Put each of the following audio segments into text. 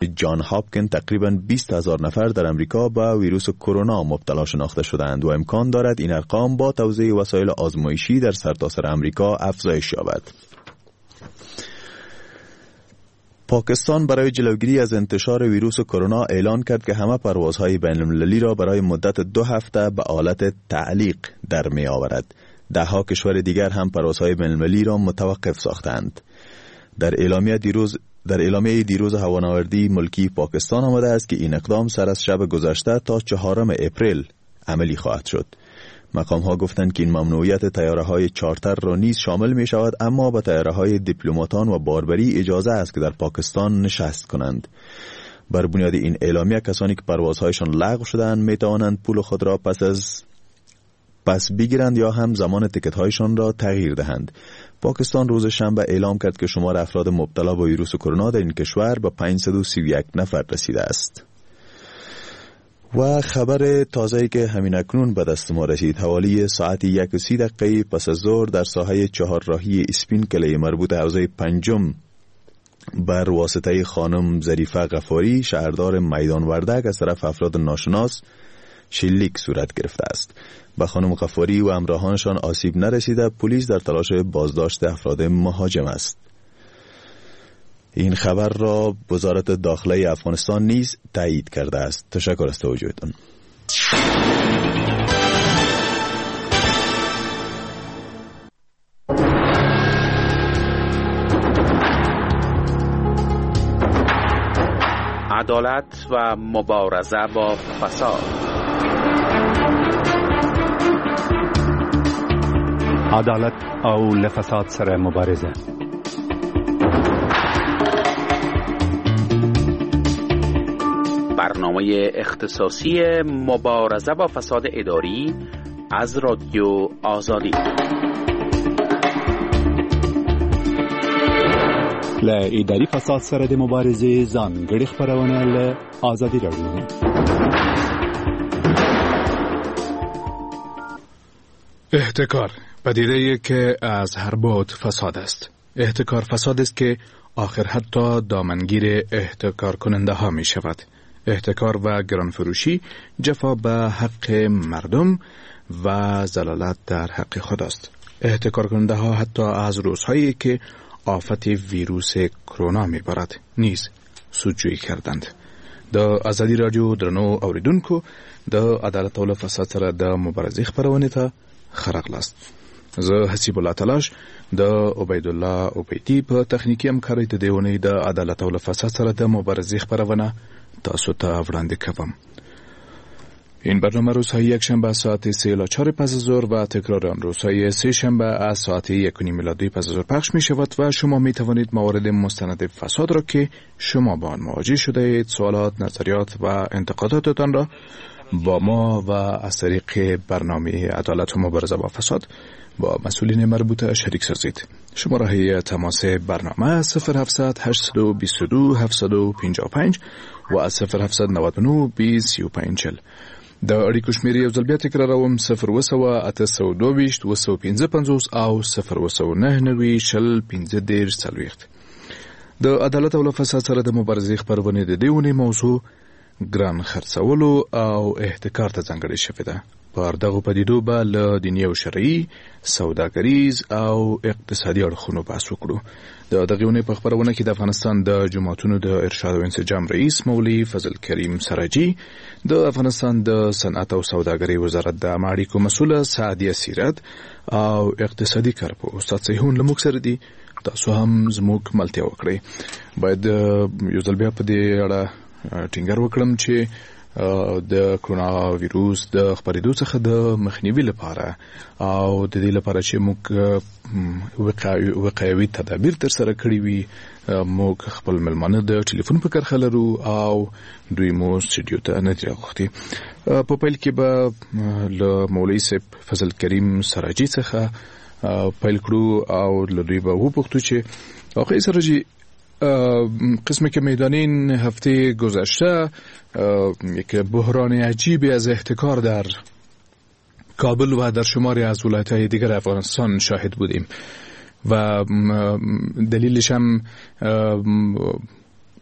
جان هاپکن تقریباً 20,000 نفر در امریکا به ویروس کرونا مبتلا شناخته شدند و امکان دارد این ارقام با توزیع وسایل آزمایشی در سرتاسر امریکا افزایش یابد. پاکستان برای جلوگیری از انتشار ویروس کرونا اعلان کرد که همه پروازهای بین المللی را برای مدت 2 هفته به حالت تعلیق در می آورد. دهها کشور دیگر هم پروازهای بین المللی را متوقف ساختند. در اعلامیه دیروز هوانوردی ملکی پاکستان آمده است که این اقدام سر از شب گذشته تا 4 اپریل عملی خواهد شد. مقام ها گفتند که این ممنوعیت طیاره های چارتر را نیز شامل می شود، اما به طیاره های دیپلماتان و باربری اجازه است که در پاکستان نشست کنند. بر بنیاد این اعلامیه کسانی که پروازهایشان لغو شدند می توانند پول خود را پس بگیرند یا هم زمان تکت هایشان را تغییر دهند. پاکستان روز شنبه اعلام کرد که شمار افراد مبتلا به ویروس کرونا در این کشور به 531 نفر رسیده است. و خبر تازه‌ای که همین اکنون به دست ما رسید، حوالی ساعت 1:30 پس از ظهر در ساحه چهارراهی اسپین کلی مربوط حوزه پنجم بر واسطه خانم ظریفه غفاری شهردار میدان وردک از طرف افراد ناشناس شلیک صورت گرفته است. به خانم غفاری و همراهانشان آسیب نرسیده. پلیس در تلاش بازداشت افراد مهاجم است. این خبر را وزارت داخله افغانستان نیز تایید کرده است. تشکر از توجهتان. عدالت و مبارزه با فساد. عدالت او له فساد سره مبارزه. برنامه اختصاصی مبارزه با فساد اداری از رادیو آزادی. له اداري فساد سره د مبارزې ځانګړې خپرونه له ازادي راډیو. احتکار پدیده‌ای که از هر بعد فساد است. احتکار فساد است که آخر حتی دامنگیر احتکار کننده ها می شود. احتکار و گرانفروشی جفا به حق مردم و زلالت در حق خداست. احتکار کننده ها حتی از روزهایی که آفت ویروس کرونا می بارد نیز سودجویی کردند. د ازادي رادیو درنو اوریدونکو د عدالت او فساد سره د مبارزې خپرونې ته ښه راغلاست. زه حسیب الله تلاش د عبیدالله عبیدی په تخنیکي همکارۍ د دې اونۍ د عدالت او فساد سره د مبارزې خپرونه تاسو ته وړاندې کوم. این برنامه روزهای یکشنبه ساعت 3:04 پس از ظهر و تکرار آن روزهای سه شنبه از ساعت 1:30 میلادی پس از ظهر پخش می شود و شما می توانید موارد مستند فساد را که شما با آن مواجه شده اید، سوالات، نظریات و انتقاداتتان را با ما و از طریق برنامه عدالت و مبارزه با فساد با مسئولین مربوطه شریک سازید. شماره تماس برنامه 0700 822 755 و 0799 20 35. د اړیکو شمېرې یو ځل بیا تکراروم: 07822 255 او 099 20 15 40. د عدالت او فساد سره د مبارزې خپرونې د دې اونۍ موضوع ګران خرڅولو او احتکار ته ځانګړې شوې ده. پر دغو پدیدو به له دیني او شرعي، سوداګریز او اقتصادي اړخونو بحث وکړو. د دغې اونۍ په خپرونه کې د افغانستان د جوماتونو د ارشاد او انسجام رئیس مولوي فضل کریم سراجي، د افغانستان د صنعت او سوداګرۍ وزارت د عامه اړیکو مسؤله سعدیه سیرت او اقتصادي کارپوه استاد سیحون له موږ سره دي. تاسو هم زموږ ملتیا وکړئ. باید یو ځل بیا په دې اړه ټینګار وکړم چې د کرونا ویروس د خپرېدو څخه د مخنیوي لپاره او د دې لپاره چې موږ وقایوي تدابیر ترسره کړي وي، موږ خپل مېلمانه د ټلیفون په کرښه لرو او دوی مو سټډیو ته نه دي راغوښتي. په پیل کې به له مولوي صاحب فضل کریم سراجي څخه پیل کړو او له دوی به وپوښتو چې آقای سراجي، قسمی که میدانین هفته گذشته یک بحران عجیبی از احتکار در کابل و در شماری از ولایت‌های دیگر افغانستان شاهد بودیم و دلیلش هم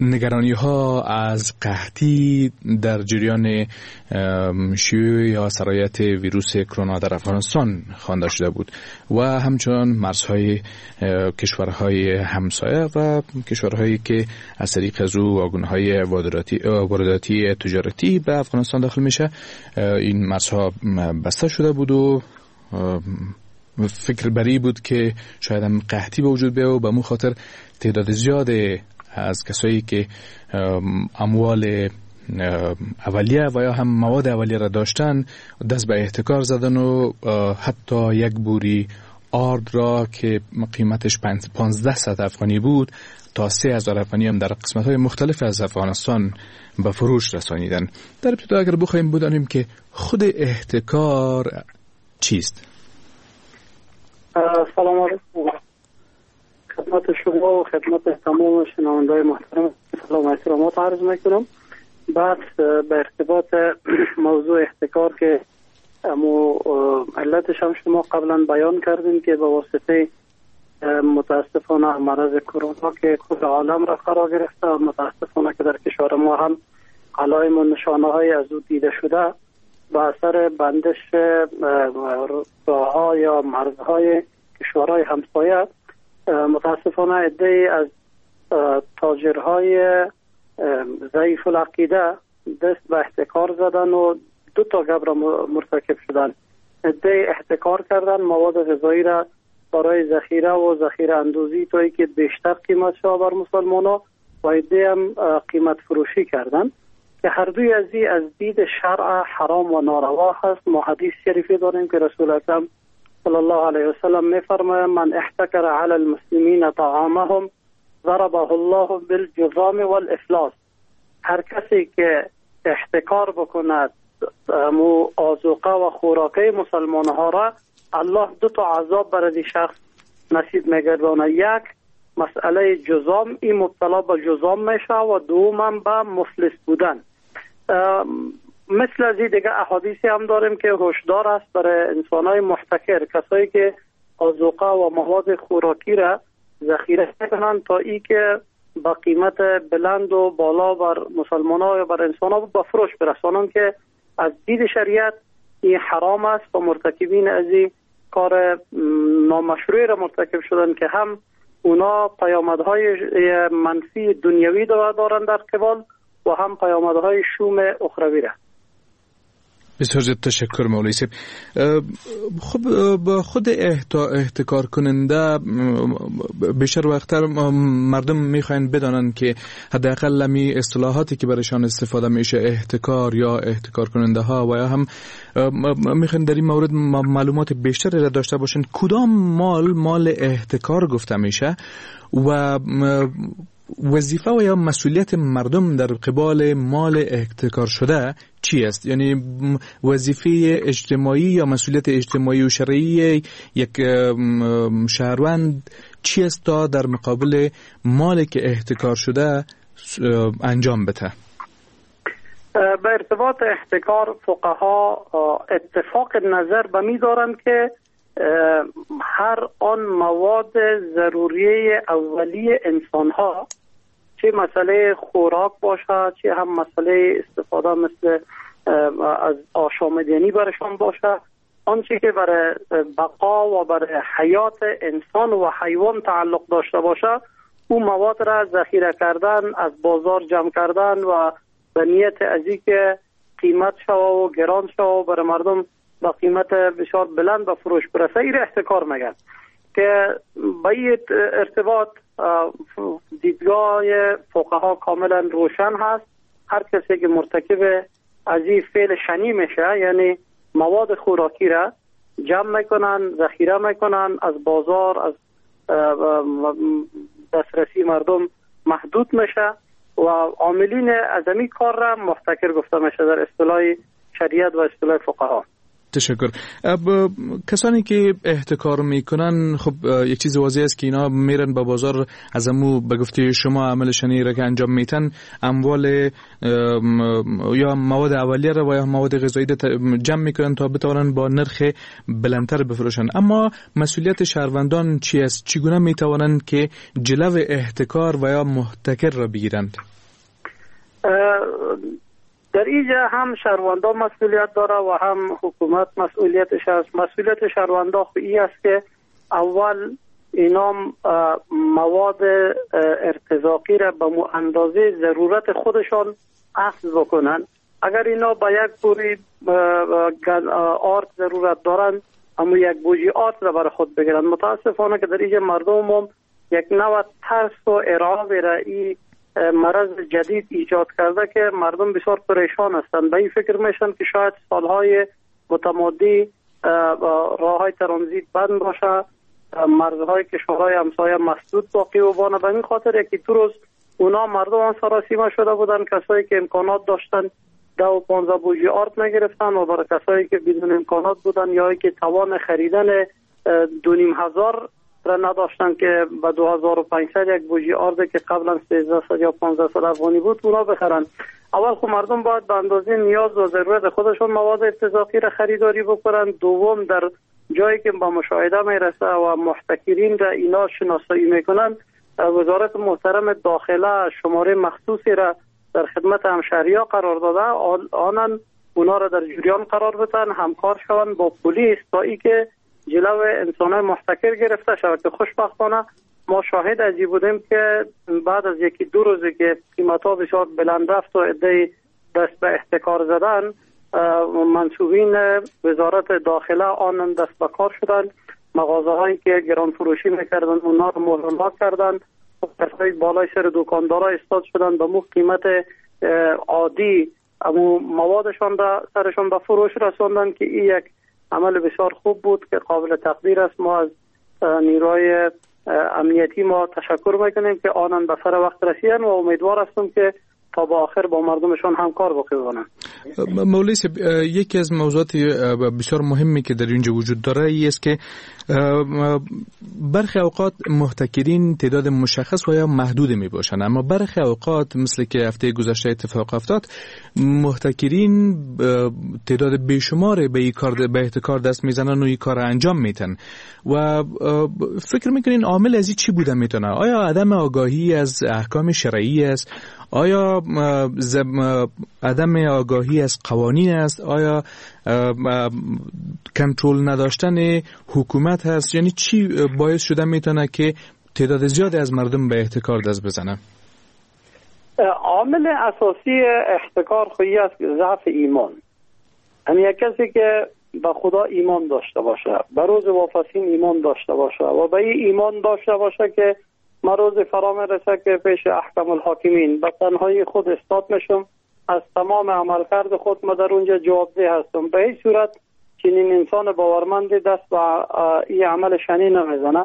نگرانی ها از قحطی در جریان شیوع یا سرایت ویروس کرونا در افغانستان خوانده شده بود و همچنان مرزهای کشورهای همسایه و کشورهایی که از طریق از او واگن‌های وارداتی تجارتی به افغانستان داخل میشه، این مرزها بسته شده بود و فکر بری بود که شاید هم قحطی به وجود بیاد و به مو خاطر تعداد زیاد از کسایی که اموال اولیه و یا هم مواد اولیه را داشتن دست به احتکار زدن و حتی یک بوری آرد را که قیمتش 1500 افغانی بود تا 3000 افغانی هم در قسمت‌های مختلف از افغانستان به فروش رسانیدن. در ابتدا اگر بخوایم بدانیم که خود احتکار چیست؟ سلام علیکم خدمت شما و خدمت تمام شنونده‌های محترم سلام و احترامات عرض میکنم. بعد به ارتباط موضوع احتکار که امو علتش هم شما قبلا بیان کردین که به واسطه متاسفانه مرض کرونا که کل عالم را فرا گرفته و متاسفانه که در کشور ما هم علائم و نشانه های از او دیده شده، به اثر بندش راه‌ها یا مرزهای کشورهای همسایه متاسفانه عده‌ای از تاجرهای ضعیف العقیده دست به احتکار زدن و دو تا گپ را مرتکب شدن. عده‌ای احتکار کردن مواد غذایی را برای ذخیره و ذخیره اندوزی تا اینکه بیشتر قیمت شود بر مسلمان‌ها و عده‌ای هم قیمت فروشی کردن که هر دوی از این از دید شرع حرام و ناروا هست. ما حدیث شریفی داریم که رسول اکرم صلی الله علیه و سلم میفرماید من احتکر علی المسلمین طعامهم ضربه الله بالجذام والافلاس. هر کسی که احتکار بکند مو آذوقه و خوراکه مسلمان ها را، الله دو تا عذاب برای شخص نصیب میگردانه. یک مسئله جذام، این مبتلا به جذام میشه و دوم به مفلس بودن. مثل از این دیگه احادیثی هم داریم که هشدار است برای انسان‌های محتکر، کسایی که آذوقه و مواد خوراکی را ذخیره کنند تا ای که با قیمت بلند و بالا بر مسلمان‌ها یا بر انسان‌ها به فروش برسانند که از دید شریعت این حرام است و مرتکبین از این کار نامشروع را مرتکب شدن که هم اونا پیامدهای منفی دنیوی دارند در قبال و هم پیامدهای شوم اخروی را. بسیار زیاد تشکر مولوی صاحب. خب با خود احتکار کننده بیشتر وقتر مردم میخواین بدانند که حداقل لمی اصطلاحاتی که برایشان استفاده میشه احتکار یا احتکار کننده ها و یا هم میخواین در این مورد معلومات بیشتری را داشته باشند. کدام مال احتکار گفته میشه و وظیفه و یا مسئولیت مردم در قبال مال احتکار شده چی است؟ یعنی وظیفه اجتماعی یا مسئولیت اجتماعی و شرعی یک شهروند چی است تا در مقابل مال که احتکار شده انجام بده؟ به ارتباط احتکار فقها اتفاق نظر به می دارند که هر آن مواد ضروریه اولیه انسانها، چه مسئله خوراک باشه چه هم مسئله استفاده مثل از آشامیدنی برشان باشه، آنچه که برای بقا و برای حیات انسان و حیوان تعلق داشته باشه، او مواد را ذخیره کردن، از بازار جمع کردن و به نیت از اینکه قیمت شوه و گران شوه و برای مردم با قیمت بسیار بلند به فروش برسه، این احتکار میگن که با این ارتباط دیدگاه فقها کاملا روشن هست. هر کسی که مرتکب از این فعل شنی میشه، یعنی مواد خوراکی را جمع میکنن، ذخیره میکنن، از بازار از دسترسی مردم محدود میشه و عاملین از این کار را محتکر گفته میشه در اصطلاح شریعت و اصطلاح فقها. تشکر. کسانی که احتکار میکنن، خب یک چیز واضح است که اینا میرن به بازار، از امو به گفته شما عمل شنی را که انجام میتن، اموال یا مواد اولیه را و یا مواد غذایی جمع میکنن تا بتوانن با نرخ بلندتر بفروشن. اما مسئولیت شهروندان چی است؟ چگونه میتوانند که جلو احتکار و یا محتکر را بگیرند؟ در اینجا هم شهروندا مسئولیت داره و هم حکومت مسئولیتش است. مسئولیت شهروندا خو ای است که اول اینا مواد ارتزاقی را به اندازه ضرورت خودشان اخذ بکنن. اگر اینا با یک بوری آرد ضرورت دارن، اما یک بوجی آرد را برای خود بگیرن. متاسفانه که در اینجا مردم هم یک نوع ترس و ارعاب را ای مرض جدید ایجاد کرده که مردم بسیار پریشان هستند. به این فکر میشن که شاید سالهای متمادی راههای ترانزیت بند باشه، مرزهای کشورهای همسایه مسدود باقی و بانه. به این خاطر یکی دو روز اونا مردم هم سراسیمه شده بودن. کسایی که امکانات داشتن 10 و 15 بوجی آرد نگرفتن و برای کسایی که بدون امکانات بودن یا که توان خریدن 2500 را نداشتن که به 2500 یک بوجی آرد که قبلا 1300 یا 1500 افغانی بود اونا بخرن. اول خب مردم باید به اندازه نیاز و ضرورت خودشون مواد ارتزاقی را خریداری بکنن. دوم، در جایی که با مشاهده میرسه و محتکرین را اینا شناسایی میکنن، وزارت محترم داخله شماره مخصوصی را در خدمت همشهری‌ها قرار داده، آنان اونا را در جریان قرار بدن، همکار شوند با پلیس تا ای که جلو انسان‌های محتکر گرفته شود. که خوشبختانه ما شاهد از این بودیم که بعد از یکی دو روزی که قیمت‌ها بسیار بلند رفت و عده‌ای دست به احتکار زدن، منسوبین وزارت داخله آنان دست به کار شدن، مغازه‌هایی که گران فروشی میکردن اونا رو مهر کردن، کسایی بالای سر دکاندارا استاد شدن به مو قیمت عادی امو موادشان را سرشان به فروش رساندن که این یک عمل بسیار خوب بود که قابل تقدیر است. ما از نیروهای امنیتی ما تشکر میکنیم که آنان به سر وقت رسیدن و امیدوار هستم که تا با آخر با مردمشان همکار باقی بمانند. مولوی صاحب، یکی از موضوعات بسیار مهمی که در اینجا وجود داره این است که برخی اوقات محتکرین تعداد مشخص و یا محدود می باشند، اما برخی اوقات مثل که هفته گذشته اتفاق افتاد، محتکرین تعداد بیشمار به این کار، به احتکار دست میزنن و این کار انجام میتن و فکر میکنین عامل از این چی بوده میتونه؟ آیا عدم آگاهی از احکام شرعی است؟ آیا عدم آگاهی از قوانین است؟ آیا کنترل نداشتن حکومت هست؟ یعنی چی باعث شده میتونه که تعداد زیادی از مردم به احتکار دست بزنه؟ عامل اساسی احتکار خواهی است ضعف ایمان. یعنی یک کسی که به خدا ایمان داشته باشه، به روز واپسین ایمان داشته باشه و به این ایمان داشته باشه که ما روز فرا میرسه که پیش احکم الحاکمین به تنهایی خود استاد میشم، از تمام عملکرد خود ما در اونجا جوابده هستم. به هیچ صورت چنین انسان باورمند دست به این عمل شنی نمیزنه.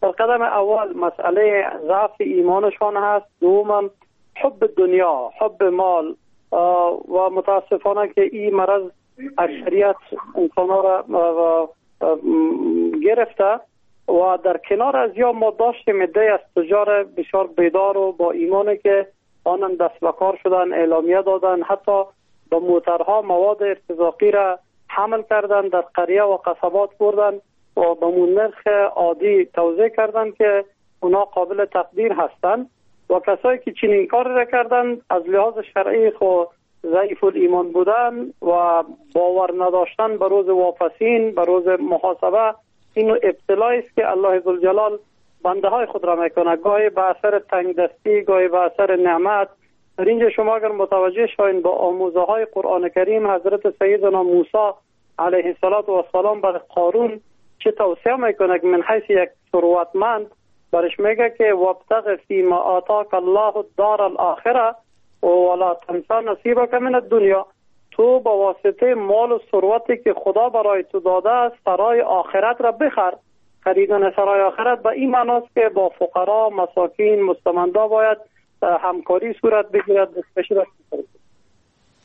در قدم اول مسئله ضعف ایمانشان هست، دوم حب دنیا، حب مال و متاسفانه که این مرض اکثریت انسان را گرفته و در کنار از یا ما داشتیم عده‌ای از تجار بسیار بیدار و با ایمانی که آنان دست به کار شدن، اعلامیه دادن، حتی با موترها مواد ارتزاقی را حمل کردن، در قریه و قصبات بردن و به نرخ عادی توزیع کردن که اونا قابل تقدیر هستند. و کسایی که چنین کار را کردن از لحاظ شرعی خو ضعیف الایمان بودن و باور نداشتن به روز واپسین، به روز محاسبه، اینو ابتلایی است که الله ذوالجلال بنده های خود را میکنه، گاهی به اثر تنگ دستی، گاهی به اثر نعمت. در اینجا شما اگر متوجه شوین با آموزه های قرآن کریم، حضرت سیدنا موسی علیه السلام بر قارون چه توصیه میکنه که من حیث یک ثروتمند برش میگه که وابتغ فیما آتاک الله الدار الاخره ولا تنس نصیبک من الدنیا. تو با واسطه مال و ثروتی که خدا برای تو داده است سرای آخرت را بخر. خریدن سرای آخرت به این معناست که با فقرا، مساکین، مستمندا باید همکاری صورت بگیرد.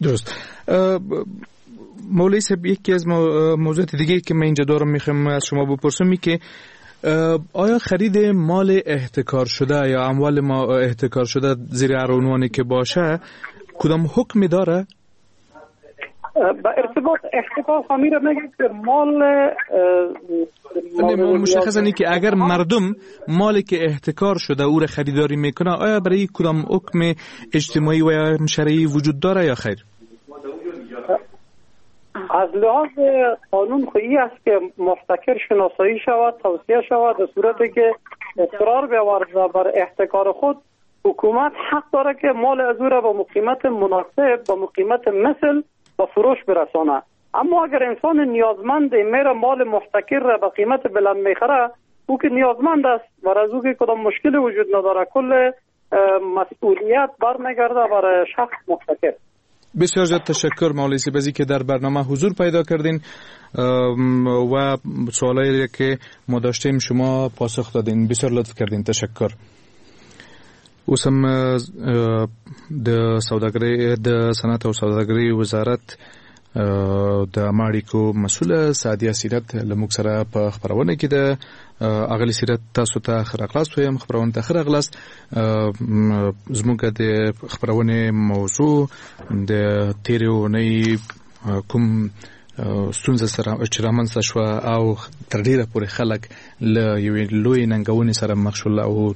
درست. مولوی صاحب، یکی از موضوعات دیگه که من اینجا دارم میخوام از شما بپرسم که آیا خرید مال احتکار شده یا اموال ما احتکار شده زیر هر عنوانی که باشه کدام حکمی داره؟ با ارتباط احتکار خمیر میگه که مال مشخصا اینه که اگر مردم مالی که احتکار شده او را خریداری میکنه، آیا برای کدام حکم اجتماعی و یا شرعی وجود داره یا خیر؟ از لحاظ قانون خو ای است که محتکر شناسایی شود، توصیه شود، در صورتی که اصرار بیاورد بر احتکار خود، حکومت حق داره که مال از او را با قیمت مناسب، با قیمت مثل با فروش برسانه. اما اگر انسان نیازمند میره مال محتکر را به قیمت بلند میخره، او که نیازمند است و از او که کدام مشکل وجود نداره، کل مسئولیت برمیگرده بر شخص محتکر. بسیار زیاد تشکر مولوی صاحب که در برنامه حضور پیدا کردین و سوالایی که ما داشتیم شما پاسخ دادین. بسیار لطف کردین، تشکر. اوس هم د سوداګرۍ د صنعت او سوداګرۍ وزارت د ماړیکو مسؤله سعدیه سیرت له موږ سره په خبرونه کې ده. اغلی سیرت، تاسو ته ښه راغلاست وایم، خبرونه ته ښه راغلاست. زموږ د خبرونې موضوع د تیرې اونۍ کوم ستونزه سره چې رامنځته شوه او تر ډیره پورې خلک له یوې لویې ننګونې سره مخ شول او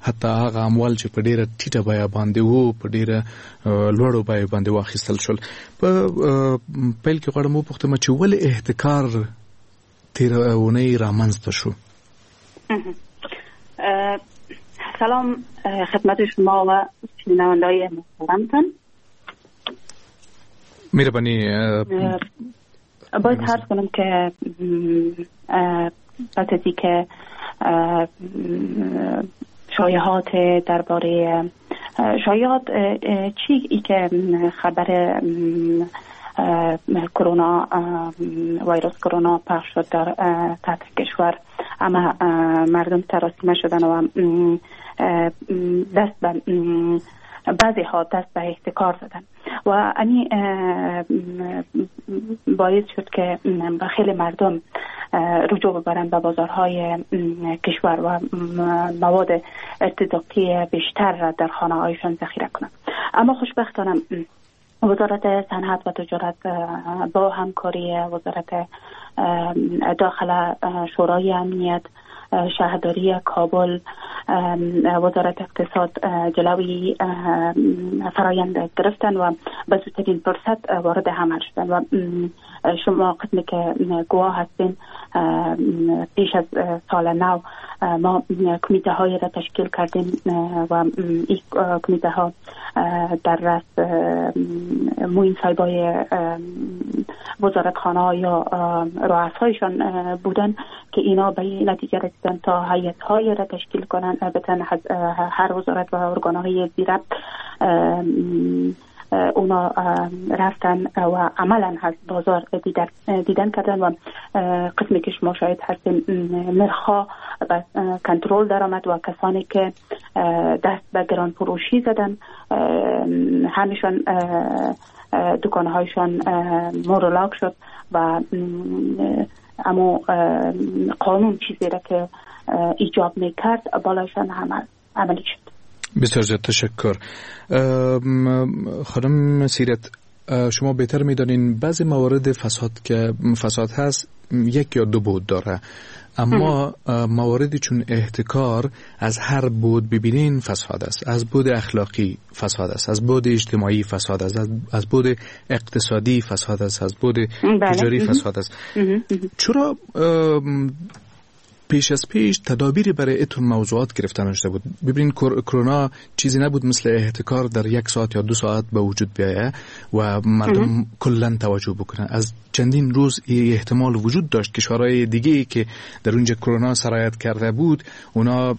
حتی هغه اموال چې په ډیره ټیټه بیه باندې وو په ډیره لوړو بیو باندې واخیستل شول. په پیل کې غواړم وپوښتم چې ولې احتکار تیره اونۍ رامنځته شو؟ سلام خدمت شما و شنونده‌های محترمتان. مهربانی. باید عرض کنم که پس از اینکه شایعات درباره شایعات چی ای که خبر کرونا، ویروس کرونا پخش شد در سطح کشور، اما مردم تراسیمه شدن و دست به بعضی ها دست به احتکار زدن و انی باعث شد که خیلی مردم رجوع ببرن به بازارهای کشور و مواد ارتداقی بیشتر را در خانه هایشان ذخیره کنند. اما خوشبختانه وزارت صنعت و تجارت با همکاری وزارت داخله، شورای امنیت، شهرداری کابل، وزارت اقتصاد جلوی فرایند گرفتن و به زودترین فرصت وارد عمل شدن و شما قسمی که گواه هستین پیش از سال نو ما کمیته های را تشکیل کردیم و این کمیته ها در رأس معین صاحبای وزارتخانه یا رؤسایشان بودن که اینا به این نتیجه رسیدن تا هیئت های را تشکیل کنن، البته هر وزارت و ارگان های ذیربط اونا رفتن و عملا از بازار دیدن کردن و قسمی که شما شاهد هستین نرخ‌ها به کنترل درآمد و کسانی که دست به گران فروشی زدن همیشان دکانهایشان مورلاک شد و اما قانون چیزی را که ایجاب میکرد بالایشان عملی شد. بسیار زیاد تشکر. خانم سیرت، شما بهتر میدانین بعضی موارد فساد که فساد هست یک یا دو بود داره، اما مواردی چون احتکار از هر بود ببینین فساد است، از بود اخلاقی فساد است، از بود اجتماعی فساد است، از بود اقتصادی فساد است، از بود تجاری فساد است. چرا پیش از پیش تدابیری برای اتون موضوعات گرفته نشده بود؟ ببینین کرونا چیزی نبود مثل احتکار در یک ساعت یا دو ساعت به وجود بیایه و مردم کلا توجه بکنن. از چندین روز احتمال وجود داشت کشورهای دیگه که در اونجا کرونا سرایت کرده بود اونا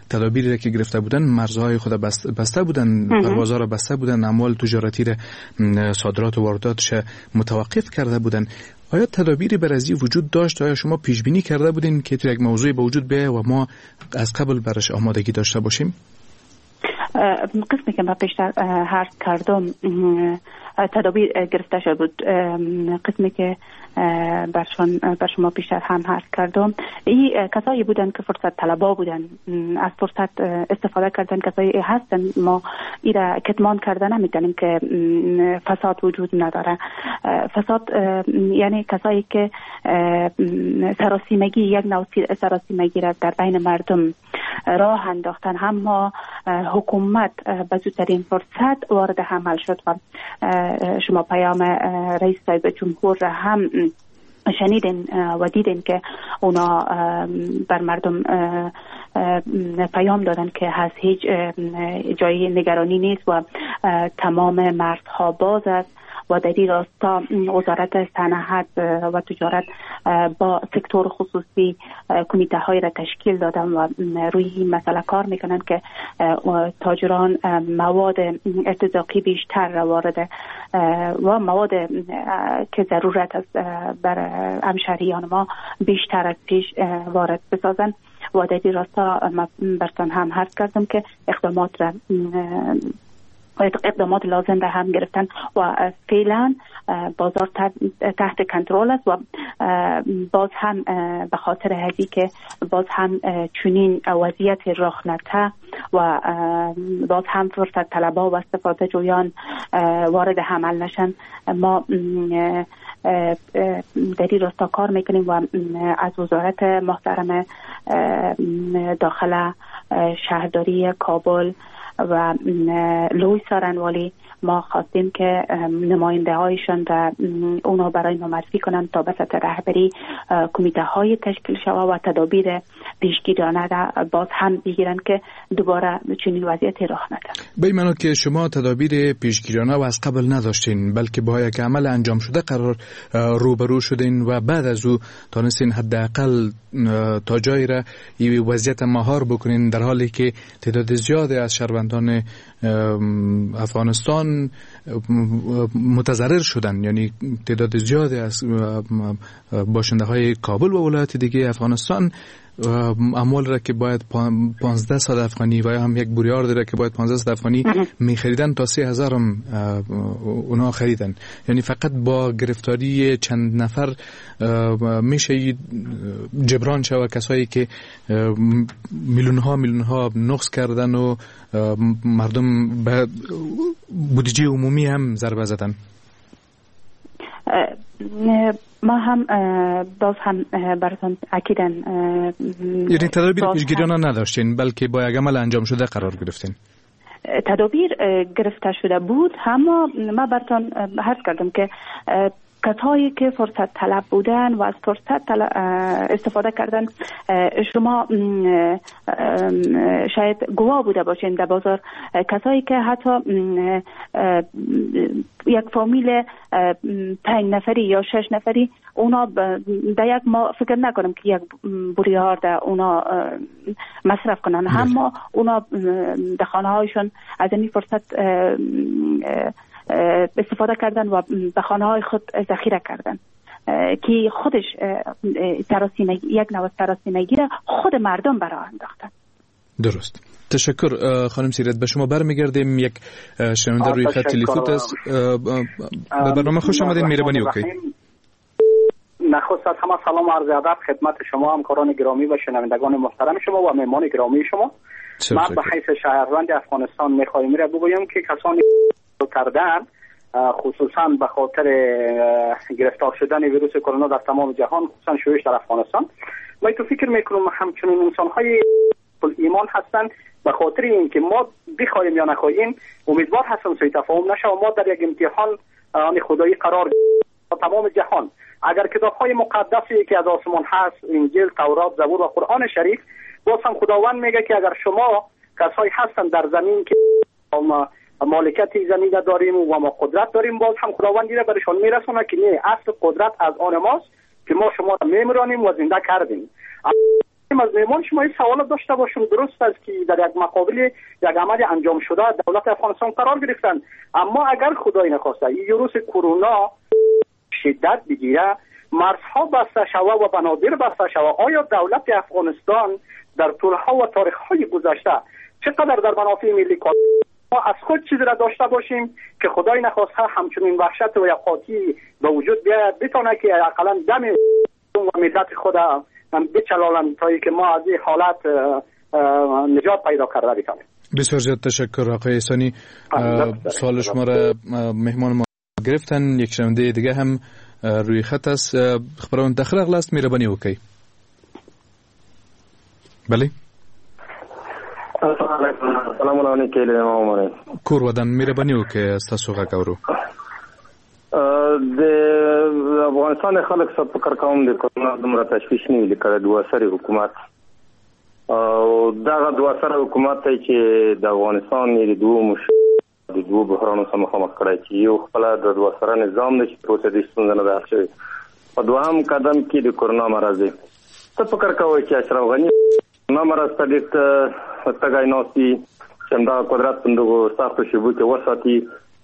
تدابیری را که گرفته بودن، مرزهای خود بسته بودن، پروازها را بسته بودن، اموال تجارتی را، صادرات و وارداتش متوقف کرده بودن. آیا تدابیری بر از این وجود داشت؟ آیا شما پیش بینی کرده بودین که تو یک موضوع به وجود بیاید و ما از قبل برش آمادگی داشته باشیم؟ قسمی که من پیشتر عرض کردم تدابیر گرفته شده بود. قسمی که بر شما بیشتر هم عرض کردم، این کسایی بودن که فرصت طلبا بودن، از فرصت استفاده کردن. کسایی هستن ما ایرا کتمان کردن نمیتونیم که فساد وجود نداره. فساد یعنی کسایی که سراسیمگی، یک نوع سراسیمگی را در بین مردم راه انداختن. اما حکومت به زودترین فرصت وارد عمل شد و شما پیام رئیس صاحب جمهور را هم شنیدین و دیدین که اونا بر مردم پیام دادن که از هیچ جایی نگرانی نیست و تمام مرزها باز است و در این راستا وزارت صنعت و تجارت با سکتور خصوصی کمیته های را تشکیل دادن و روی این مسئله کار میکنن که تاجران مواد ارتزاقی بیشتر را وارد و مواد که ضرورت است بر همشهریان ما بیشتر از پیش وارد بسازن. و در این راستا برتان هم عرض کردم که اقدامات لازم را هم گرفتن و فعلا بازار تحت کنترل است و باز هم به خاطر هزی که باز هم چنین وضعیت رخ نده و باز هم فرصت طلبا و استفاده جویان وارد عمل نشن، ما در این راستا کار میکنیم و از وزارت محترم داخله، شهرداری کابل و لوی سارنوالی ما خواستیم که نماینده هایشان را اونا برای ما معرفی کنند تا به سطح رهبری کمیته های تشکیل شود و تدابیر پیشگیرانه را باز هم بگیرند که دوباره چنین وضعیتی رخ نده. به این معنا که شما تدابیر پیشگیرانه و از قبل نداشتین، بلکه با یک عمل انجام شده قرار روبرو شدین و بعد از او تانستین حداقل تا جایی را وضعیت مهار بکنین، در حالی که تعداد زیادی از شهروندان افغانستان متضرر شدن، یعنی تعداد زیادی از باشنده های کابل و ولایات دیگه افغانستان اموال را که باید 1500 افغانی و یا هم یک بوریار را که باید 1500 افغانی میخریدن تا 3000 هم اونا خریدن. یعنی فقط با گرفتاری چند نفر میشه جبران شود کسایی که میلیون ها نقص کردن و مردم به بودجه عمومی هم ضربه زدن. ما هم باز هم براتون اکیداً یعنی تدابیر پیشگیرانه نداشتین، بلکه با یک عمل انجام شده قرار گرفتین. تدابیر گرفته شده بود، اما ما براتون عرض کردم که کسایی که فرصت طلب بودن و از فرصت استفاده کردن، شما شاید گواه بوده باشین در بازار کسایی که حتی یک فامیل 5 نفری یا 6 نفری اونا در یک ما فکر نکنم که یک بوریار در اونا مصرف کنن، اما اونا در خانه هایشون از این فرصت استفاده کردن و به خانه های خود ذخیره کردن که خودش سراسیمگی، یک نوع سراسیمگی را خود مردم برای انداختن. درست. تشکر خانم سیرت. به شما برمیگردیم. یک شنونده روی خط تلفن است. به برنامه خوش آمدین. مهربانی وکړئ. نخست از همه سلام و عرض ادب خدمت شما همکاران گرامی و شنوندگان محترم شما و مهمان گرامی شما. من به حیث شهروند افغانستان میخوایم را بگویم که کسانی کردن خصوصا به خاطر گرفتار شدن ویروس کرونا در تمام جهان، خصوصا شیوعش در افغانستان، من تو فکر میکنم همچنین انسان‌های ایمان هستند. به خاطر اینکه ما بخوایم یا نخواهیم امیدوار هستم سوء تفاهم نشه و ما در یک امتحان آن خدایی قرار تمام جهان. اگر کتاب‌های مقدسی که از آسمان هست، انجیل، تورات، زبور و قرآن شریف، باز هم خداوند میگه که اگر شما کسایی هستند در زمین که مالکیت زمین داریم و ما قدرت داریم، باز هم خداوند دیره برشان میرسونه که نه، اصل قدرت از آن ماست که ما شما را میمرانیم و زنده کردیم. از میمان شما این سوال داشته باشم، درست است که در یک مقابل یک عمل انجام شده دولت افغانستان قرار گرفتن، اما اگر خدای نخواسته این ویروس کرونا شدت بگیره، مرزها بسته شوه و بنادر بسته شوه، آیا دولت افغانستان در طولها و تاریخ‌های گذشته چقدر در منافع ملی کار ما از خود چیزی را داشته باشیم که خدای نخواسته همچنین وحشت و یقاتی به وجود بیاید، بتونه که اقلا دم و ملت خود بچلالند تا که ما از این حالت نجات پیدا کرده بتانیم. بسیار زیاد تشکر آقای احسانی. سوال شما را مهمان ما گرفتن. یک شنونده دیگه هم روی خط است. خبرون داخل اغلاست مهربانی وکړئ. بله. سلام علیکم. کور ودان، مهرباني وکړئ، ستاسو غږ اورو. د افغانستان خلک څه فکر کوم د کرونا دومره تشویش نه وي لکه د دوه سري حکومت، او دغه دوه سره حکومت دی چې د افغانستان یې د دوو بحرانو سره مخامخ کړی، چې یو خپله د دوه سره نظام دی چې تر اوسه دې ستونزه نه ده حل شوې، په دوهم قدم کې د کرونا مرض دی. څه فکر کوئ چې اشرف غني کرونا مرض ته ډېر تږی ناست دي چې همدغه قدرت په دغو سختو شیبو کې وساتي،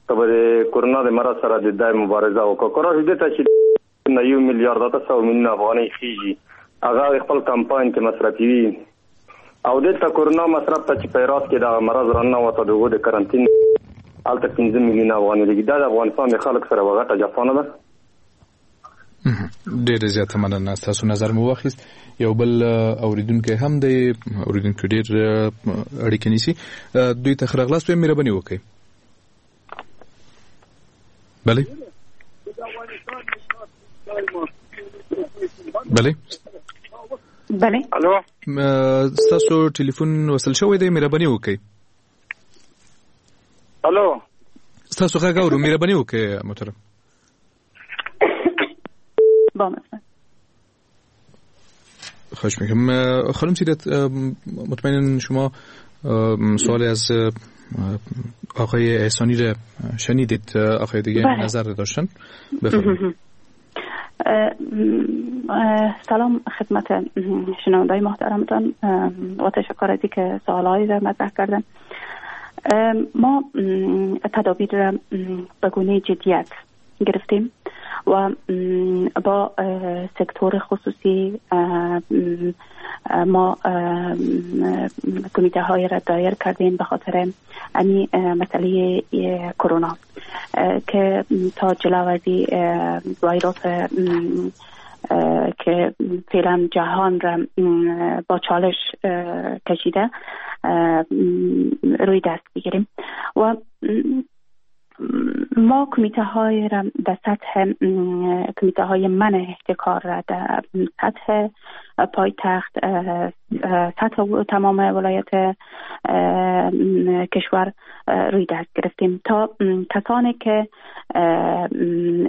ته به د کرونا د مرض سره د دای مبارزه وکړه؟ که راشي دې ته چې 1 میلیارد 800 میلیونه افغانۍ خېژي، هغه خپل کمپاین کې مصرفوي، او دلته کرونا مصرف ته چې په هرات کې دغه مرض راننوته د هغو د کرنټین هلته 5 میلیونه افغانۍ لګي. دا د افغانستان د خلک سره یوه غټه جفا نه ده؟ ډېره زیاته مننه، ستاسو نظر مو واخیست. یو بل اوریدونکی هم دی، اوریدونکي ډېر اړیکې نیسي، دوی ته ښه راغلاست وایم، مهرباني وکړئ. بله بله بله. الو، ستاسو ټلیفون وصل شوی دی، مهرباني وکړئ. الو، ستاسو غږ اورو، مهرباني وکړئ محترم. با مثلا خواهش میکنم. خانم سیرت، مطمئنا شما سوالی از آقای احسانی را شنیدید، آقای دیگه بله. نظر داشتن، بفرمایید. سلام خدمت شنونده‌های محترمتان و تشکر از اینکه سوالهایی را مطرح کردن. ما تدابیر را به گونه جدیت گرفتیم و با سکتور خصوصی ما کمیته های را دایر کردیم به خاطر امی مسئله کرونا که تا جلو از ویروس که فعلا جهان را با چالش کشیده روی دست بگیریم. و ما کمیته های را در سطح کمیته های منع احتکار را در سطح پایتخت، سطح تمام ولایت کشور روی دست گرفتیم تا کسانی که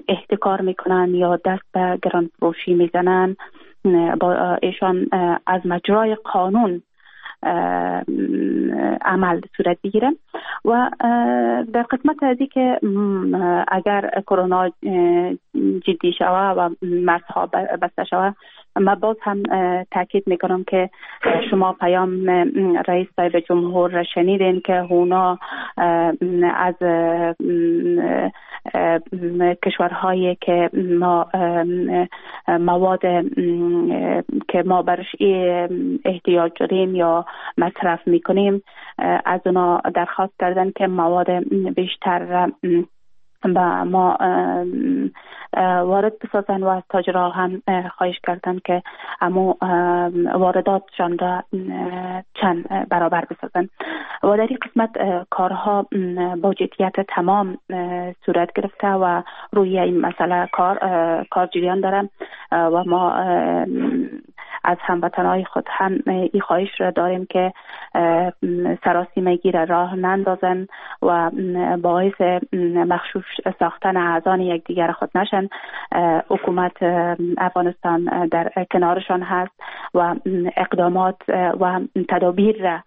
احتکار میکنن یا دست به گران فروشی میزنن با ایشان از مجرای قانون عمل صورت بگیره. و در قسمت ازی که اگر کرونا جدی شوه و مرزها بسته شوه، ما باز هم تاکید میکنم که شما پیام رئیس صاحب جمهور را شنیدین که اونا از کشورهایی که ما مواد که ما برش احتیاج داریم یا مصرف میکنیم از اونا درخواست کردن که مواد بیشتر به ما وارد بسازن و از تاجرها هم خواهش کردن که امو وارداتشان را چند برابر بسازن. و در این قسمت کارها با جدیت تمام صورت گرفته و روی این مسئله کار جریان داره و ما از هموطنهای خود هم این خواهش را داریم که سراسیمگی را راه نندازن و باعث مغشوش ساختن اعضان یکدیگر خود نشن. حکومت افغانستان در کنارشان هست و اقدامات و تدابیر را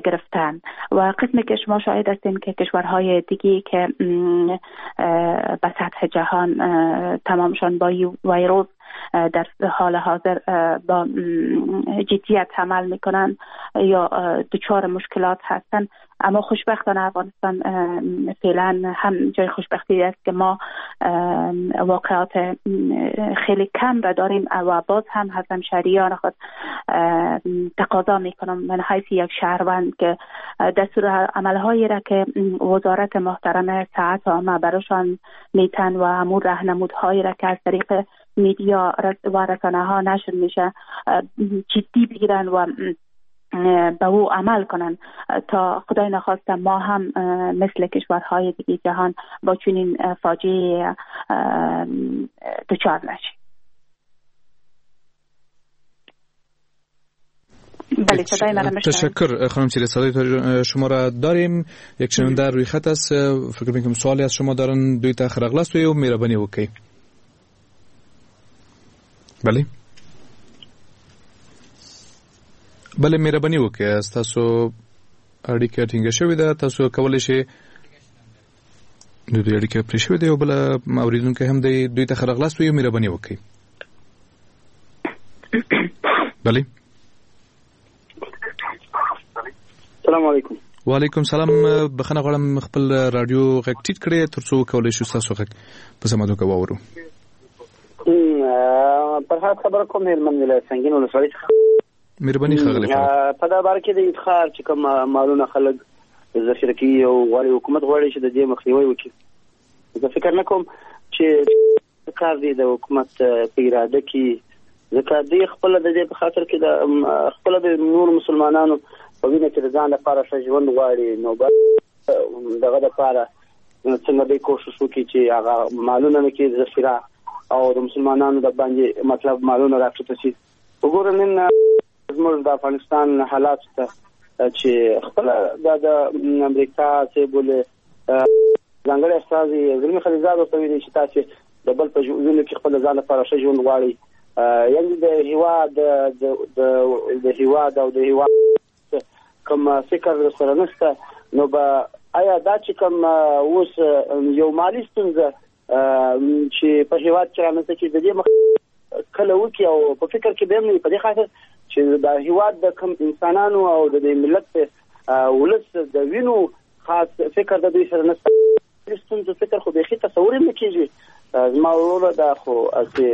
گرفتن. و قسمی که شما شاهد هستین که کشورهای دیگه که به سطح جهان تمامشان با ویروس در حال حاضر با جدیت عمل میکنن یا دچار مشکلات هستن، اما خوشبختانه افغانستان فعلا هم جای خوشبختی است که ما واقعات خیلی کم را داریم و باز هم از همشهریان خود تقاضا میکنم من حیث یک شهروند که دستور عملهایی را که وزارت محترم صحت عامه براشان میتن و امور راهنمودهایی را که از طریق میدیا و رسانه ها نشر میشه جدی بگیرن و به او عمل کنن تا خدای نخواسته ما هم مثل کشورهای دیگه جهان با چنین فاجعه دچار نشیم. بله، صدای مرا میشنوید؟ تشکر خانم سیری، صدای شما را داریم. یک شنونده روی خط است، فکر میکنم سوالی از شما دارن. دوی ته ښه راغلاست ویو، مهرباني وکړئ. بله بله، مهرباني وکړئ، تاسو اړیکه ټینګه شوې ده، تاسو کولی شئ. د دوی اړیکه پرې شوې ده. یو بل اوریدونکی هم دی، دوی ته ښه راغلاست ویو، مهرباني وکړئ. بله. السلام علیکم. وعلیکم سلام. بخنه غواړم، خپل رادیو غږ ټیټ کړئ ترڅو وکولای شو تاسو غږ په سمه توګه واورو. فرهاد خبره کوم، هلمند ولایت سنګین ولسوالۍ څخه. مهرباني ښاغلی فرهاد. په دا باره کې د ادخار چې کوم مالونه خلک ذخیره کوي او غواړي، حکومت غواړي چې د دې مخنیوی وکړي، زه فکر نه کوم چې کار دی د حکومت په اراده کې، ځکه دوی خپل د دې په خاطر کې د خپل د نور مسلمانانو په وینه کې د ځان لپاره ښه ژوند غواړي، نو دغه لپاره څنګه به کوشش وکړي چې هغه مالونه نه کې ذخیره او د مسلمانانو د باندې مطلب مالونه راکښته شي. وګوره نن زموږ د افغانستان حالات ته چې خپل د امریکا چې بوله ځانګړی استازي زلمي خلیلزاد ورته ویلي چې تاسو د بل په وینو کې خپل ځان لپاره ښه ژوند غواړي، یعنی د هیواد د هیواد او د هیواد کوم فکر سره نشته. نو به آیا دا چې کوم اوس یو مالي ستونزه چې په هیواد کې رامنځته کېږي، د دې مخ کله وکړي او په فکر کې به هم نه، په دې خاطر چې د هیواد د کوم انسانانو او د دې ملت ولس د وینو خاص فکر د دوی سره نشته، ستونزو فکر خو بیخي تصور هم نه کېږي. زما وروره دا خو هسې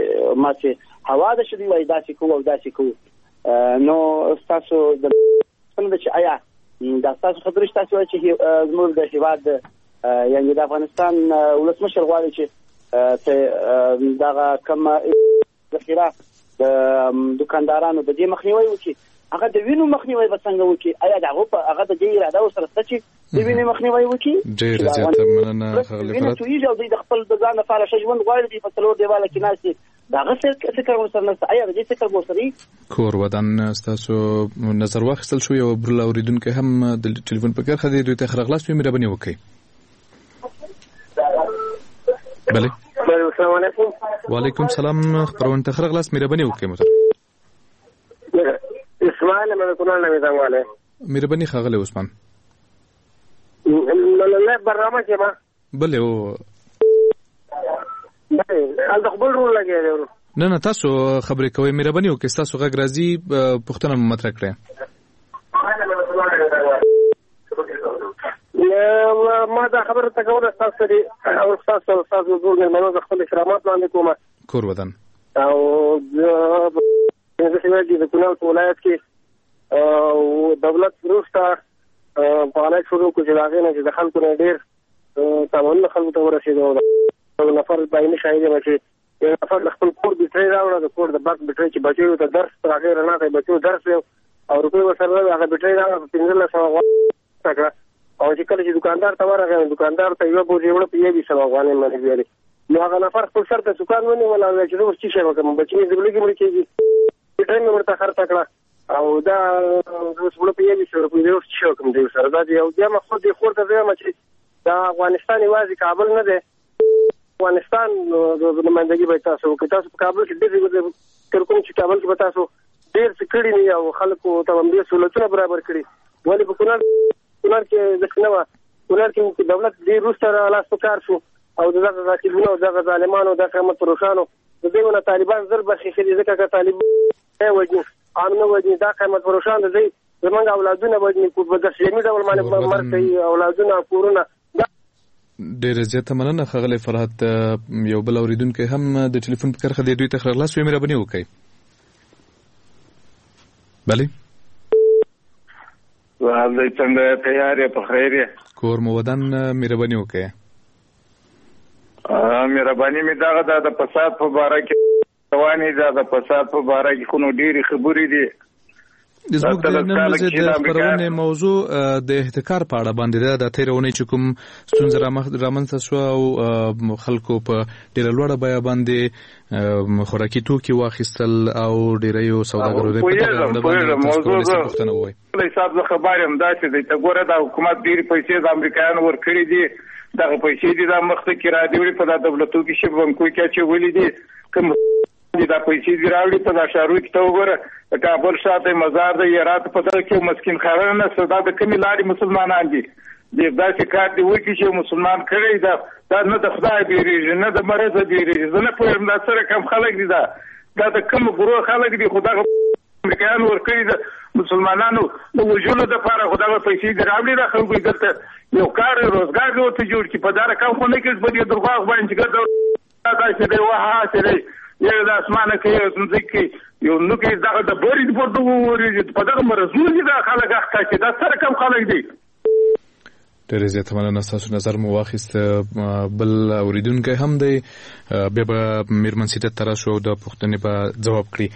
ما چې هوا ده چې دوی وایي داسې کوو او داسې کوو، نو ستاسو د پوښتنه ده چې آیا دا ستاسو خبرې چې تاسو وایئ چې زموږ د هیواد یعنی د افغانستان ولسمشر غواړي چې دغه کوم ذخیره د دکاندارانو د دې مخنیوی وکړي، هغه د وینو مخنیوی به څنګه وکړي؟ آیا د هغو هغه د دې اراده ورسره شته چې د وینې مخنیوی وکړي؟ ډېره زیاته مننه ښاغلی وینه تویږي او دوی د خپل د ځان لپاره ښه ژوند غواړي، دوی په څلور دیواله کې ناست دي، د هغه فکر ورسره نشته. آیا د دې فکر به ورسره وي؟ کور ودان، ستاسو نظر واخیستل شو. یو بل اورېدونکی هم د ټلیفون په کرښه دی، دوی ته ښه راغلاست وي، مهرباني وکړئ. بله. السلام علیکم. وعلیکم سلام، خپرونې ته ښه راغلاست، مهرباني وکړئ محترم. اسماعیل مې کونړ نه میدانواله. مهرباني ښاغلی عثمان. له برنامه کې ما بله او هلته خو بل رول لګیا دی. نه نه، تاسو خبرې کوئ، مهرباني وکړئ، ستاسو غږ راځي، پوښتنه مو مطرح کړئ. ما دا خبره ته کوله ستاسو دي او ستاسو ستاسو ټول مېلمنو ته خپل احترامات وړاندې کوم. کور ودان. او زه چې د کونړ په ولایت کې دولت وروسته فعالیت شروع کړو چې د هغې نه چې د خلکو نه ډېر سامانونه خلکو ته ورسېدو. یو نفر دایمي شاهد یم چې یو نفر د خپل کور بیټرۍ راوړه، د کور د برق بیټرۍ چې بچیو ته درس تر هغې رڼا ته بچیو درس ویو او روپۍ ورسره نه وې، هغه بیټرۍ راوړه په 1500 افغانۍ کړه. او چې کله چې دکاندار ته ورغی نو دکاندار ته یوه بوجۍ وړه په 2100 افغانۍ باندې ویلې. نو هغه نفر خپل سر ته سکان ونیول او چې زه اوس څه شی وکړم، بچي مې زبلګي مړه کېږي، بیټرۍ مې ورته خرڅه کړه او دا اوس وړه په 2100 روپۍ زه اوس څه شی وکړم دوی سره. دا یو بیا ما خو دې خور ته وایم چې دا افغانستان یوازې کابل نه دی، افغانستان نمایندګي به تاسو وکړئ. تاسو په کابل کې ډېر فکر کوم چې کابل کې به تاسو ډېر څه کړي نه او خلکو ته هم ډېر سهولتونه برابر کړي، ولې په کونړ کې داسې نه وه. کونړ کې دولت ډېر وروسته لاس په کار شو او دغه غاصبینو او دغه ظالمانو دغه قیمت فروشانو د دوی نه طالبان زر برخې ښه دي، ځکه که طالب وژني عام نه وژني، دا قیمت فروشان د دوی زمونږ اولادونه وژني، په دسلمي ډول باندې مرګ کوي، اولادونه کورونه. ډېره زیاته مننه ښاغلی فرهاد. یو بل اورېدونکی هم د ټلیفون په کرښه دی، دوی ته ښه راغلاست وایي، مهرباني وکړئ. بله وعلی څنګه تیار یې؟ په خیر یې؟ کور مو ودان، مهرباني وکړئ. مهرباني مې دغه ده، د فساد په باره کې روانې ده، د فساد په باره کې خو نو ډېرې خبرې دي. زموږ د نن ورځې د خپرونې موضوع د احتکار په اړه باندې ده. د تېرې اونۍ چې کوم ستونزه رامنځته شوه او خلکو په ډېره لوړه بیه باندې خوراکي توکي واخیستل او ډېریو سوداګرو د په دغه اړه باندې تاسو کولی شئ پوښتنه ووایئ. حساب زه خبر یم داسې دی، ته ګوره دا حکومت ډېرې پیسې د امریکایانو ورکړي دي، دغه پیسې دي دا مخته کې را دي وړي، په دا دولتو کې چې بانکو کې اچولي دي، کوم دا پیسې دي راوړي په دا ښارو کې. ته وګوره د کابل ښار دی، مزار دی، هرات، په دغه کې مسکین ښارونه نشته، دا د کومې لارې مسلمانان دي؟ داسې کار دې وکړي چې مسلمان کړی دا نه د خدای بیریږي نه د مرزه بیریږي. زه نه پوهېږم دا څه رقم خلک دي، دا د کوم ګروه خلک دي، خو دغه امریکایانو ورکړي د مسلمانانو د وژلو دپاره، خو دغه پیسې دې راوړي دا خلکو دلته یو کار روزګار دې ورته جوړ کړي. په دا رقم خو نه کېږي، په دې درواغ باندې چې ګرځه داسې دی وه هسې دی، یو د اسمانه کوي یو ځمکې کوي یو نو کوي، دغه د برې پر دغو ورېږي، په دغه مرضونو دي دا خلک اخته چې دا څه رقم خلک دي. ډېره زیاته مننه، ستاسو نظر مو واخیست. بل اورېدونکی هم دی، بیا به میرمن سیرت ته راشو او د پوښتنې به ځواب کړي.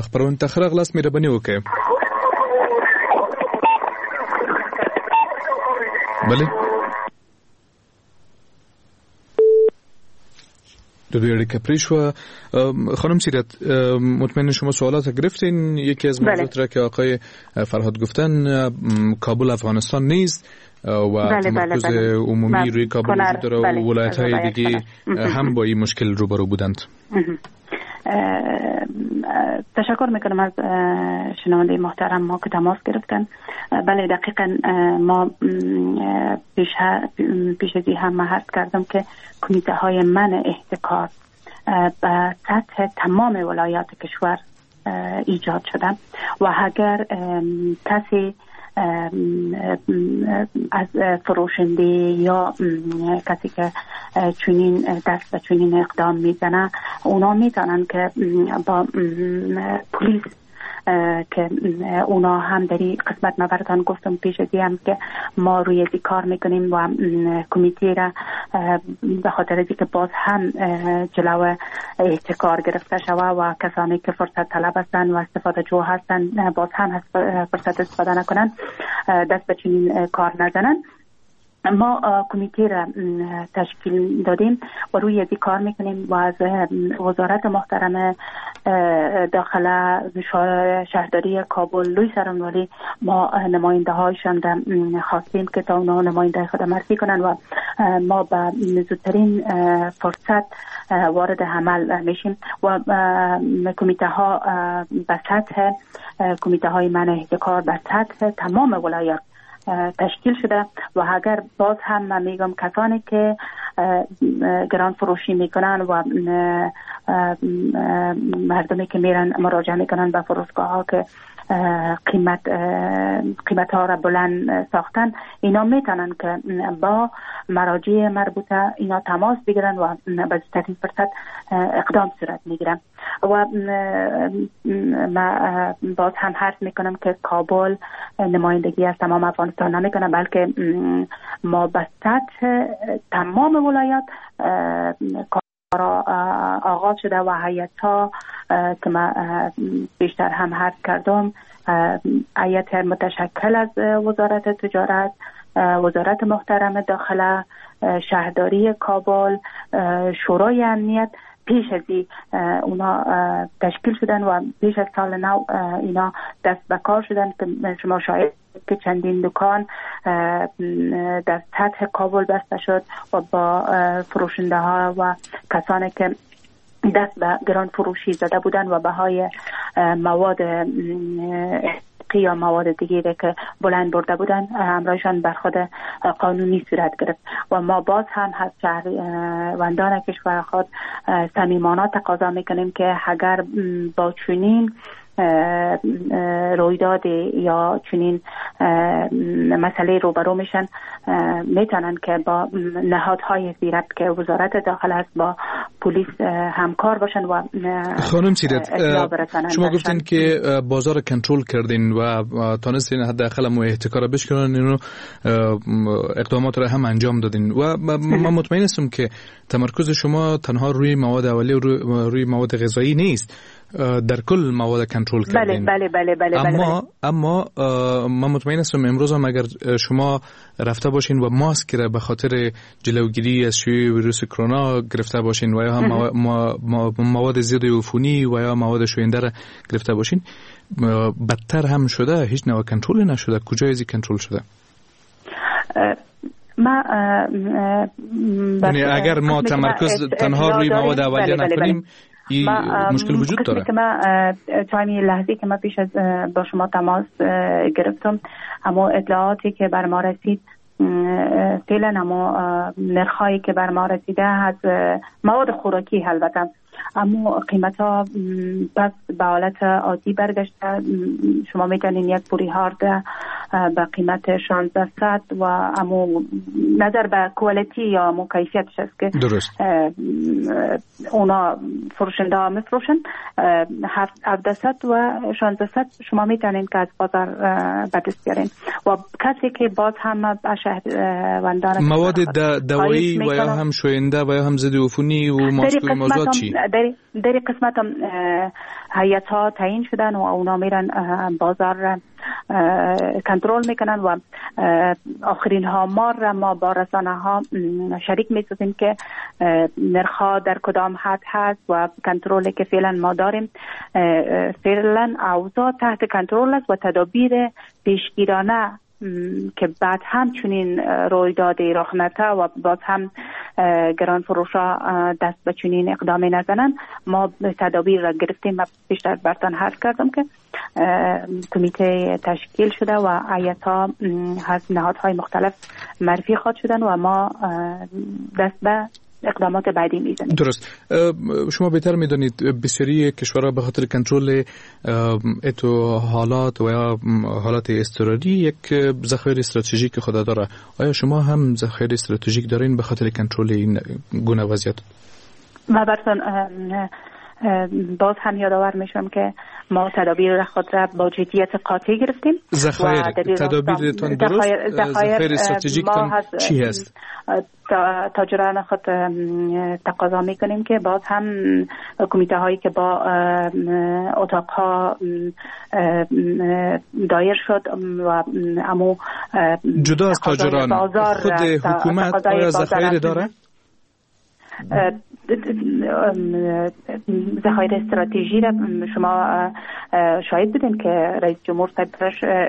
خپرونې ته ښه راغلاست، مهرباني وکړئ. بله د دوی اړیکه پرې شوه. خانم سیرت، مطمئن شما سوالات گرفتین. یکی از موضوعات را که آقای فرهاد گفتن، کابل افغانستان نیست و تمرکز عمومی روی کابل وجود داره و ولایت های دیگه هم با این مشکل روبرو بودند. تشکر میکنم از شنونده محترم ما که تماس گرفتن. بله دقیقا ما پیش از هم عرض کردم که کمیته های منع احتکار به سطح تمام ولایات کشور ایجاد شده و اگر کسی از فروشنده یا کسی که چنین دست به چنین اقدام میزنه، اونا میتونن که با پلیس که اونا هم در این قسمت ما براتان گفتم پیش از هم که ما روی از کار میکنیم و کمیته را به خاطر از که باز هم جلو احتکار گرفته شوه و کسانی که فرصت طلب هستند و استفاده جو هستند باز هم فرصت استفاده نکنن، دست به چنین کار نزنن، ما کمیته را تشکیل دادیم و روی از کار میکنیم و از وزارت محترم داخله، شهرداری کابل، لوی سرانوالی ما نماینده هایشان را خواستیم که تا اونا نماینده خود معرفی کنن و ما به زودترین فرصت وارد عمل میشیم و کمیته ها به سطح کمیته های منع احتکار به سطح تمام ولایات تشکیل شده و اگر باز هم من میگم کسانی که گران فروشی میکنن و مردمی که میرن مراجعه میکنن به فروشگاه ها که قیمت ها را بلند ساختن، اینا میتونن که با مراجع مربوطه اینا تماس بگیرن و به زودترین فرصت اقدام صورت میگیرن. و ما باز هم حرف میکنم که کابل نمایندگی از تمام افغانستان نمیکنه، بلکه ما به سطح تمام ولایات کار آغاز شده و هیئت ها که ما بیشتر هم حرف کردم، هیئت متشکل از وزارت تجارت، وزارت محترم داخله، شهرداری کابل، شورای امنیت پیش از اونا تشکیل شدن و پیش از سال نو اینا دست به کار شدن که شما شاید که چندین دکان در سطح کابل بسته شد و با فروشنده ها و کسانی که دست به گران فروشی زده بودن و بهای مواد یا مواد دیگه که بلند برده بودن همراهشان برخورد قانونی صورت گرفت. و ما باز هم از شهروندان کشور خود صمیمانه تقاضا میکنیم که اگر با چنین رویداد یا چنین مسئله روبرو میشن، میتونن که با نهادهای ذیربط که وزارت داخل است با پلیس همکار باشن. و خانم سیرت، شما گفتین که بازار کنترل کردین و تانستین حداقل مو احتکار بشکنن، اینو اقدامات را هم انجام دادین و من مطمئن هستم که تمرکز شما تنها روی مواد اولیه و روی مواد غذایی نیست، در کل مواد کنترل کردین. بله بله بله بله. اما من مطمئن هستم امروز هم اگر شما رفته باشین و ماسک را به خاطر جلوگیری از شیوع ویروس کرونا گرفته باشین و یا هم مواد ضد عفونی و یا مواد شوینده را گرفته باشین، بدتر هم شده، هیچ نوع کنترل نشده. کجای از کنترل شده؟ ما یعنی اگر ما تمرکز تنها روی مواد اولیه نکنیم این مشکل وجود داره. که ما تایمی لحظه که ما پیش از با شما تماس گرفتم، اما اطلاعاتی که بر ما رسید فعلا اما نرخ‌هایی که بر ما رسیده از مواد خوراکی البته، اما قیمت ها پس به حالت عادی برگشته. شما میتونین یک پوری هارد به قیمت 1600 و اما نظر به کوالیتی یا امو کیفیتش است که درست اونا فروشنده ها میفروشن 1700 و 1600 شما میتونین که از بازار به دست بیارین. و کسی که باز هم شهروندان مواد دوایی و یا هم شوینده و یا هم ضد عفونی و ماسک و موضوعات چی؟ در قسمت هم هیئت ها تعیین شدن و اونا میرن بازار کنترل میکنن و آخرین ها ما را با رسانه ها شریک میسازیم که نرخ ها در کدام حد هست و کنترلی که فعلا ما داریم فعلا اوضاع تحت کنترل است و تدابیر پیشگیرانه که بعد هم چنین رویداد رخ نده و باز هم گران فروشا دست به چنین اقدامی نزنن، ما تدابیر را گرفتیم. و بیشتر برتان حرف کردم که کمیته تشکیل شده و هیئت‌ها از نهادهای مختلف معرفی خواهد شدن و ما دست به اقدامات بعدی میزنیم. درست. شما بهتر میدانید بسیاری کشورها به خاطر کنترل اتو حالات و یا حالات اضطراری یک ذخایر استراتژیک خود داره. آیا شما هم ذخایر استراتژیک دارین به خاطر کنترل این گونه وضعیت؟ ما براتون باز هم یادآور میشم که ما تدابیر خود را با جدیت قاطع گرفتیم. ذخایر تدابیرتون درست، ذخایر استراتژیکتون چی هست؟ تاجران خود تقاضا میکنیم که باز هم کمیته هایی که با اتاق ها دایر شد و امو جدا از تاجران خود حکومت آیا ذخایر داره؟ ذخایر استراتژی را شما شاهد بودین که رئیس جمهور صاحب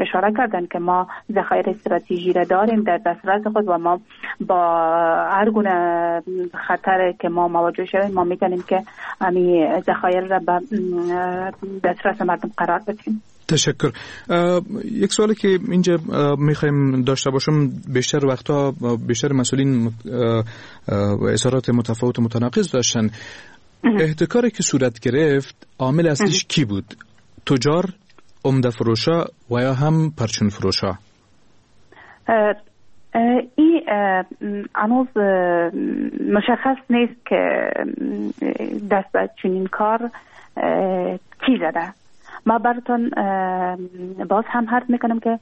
اشاره کردن که ما ذخایر استراتژی را داریم در دسترس خود و ما با هر گونه خطر که ما مواجه شویم ما میتونیم که امی ذخایر را به دسترس مردم قرار بدیم. تشکر. یک سوالی که اینجا میخوایم داشته باشم، بیشتر وقتا بیشتر مسئولین اظهارات متفاوت و متناقض داشتن. احتکاری که صورت گرفت عامل اصلیش کی بود؟ تجار، عمده فروشا و یا هم پرچون فروشا؟ این هنوز مشخص نیست که دست به چنین کار کی زده. ما براتون باز هم حرف میکنم که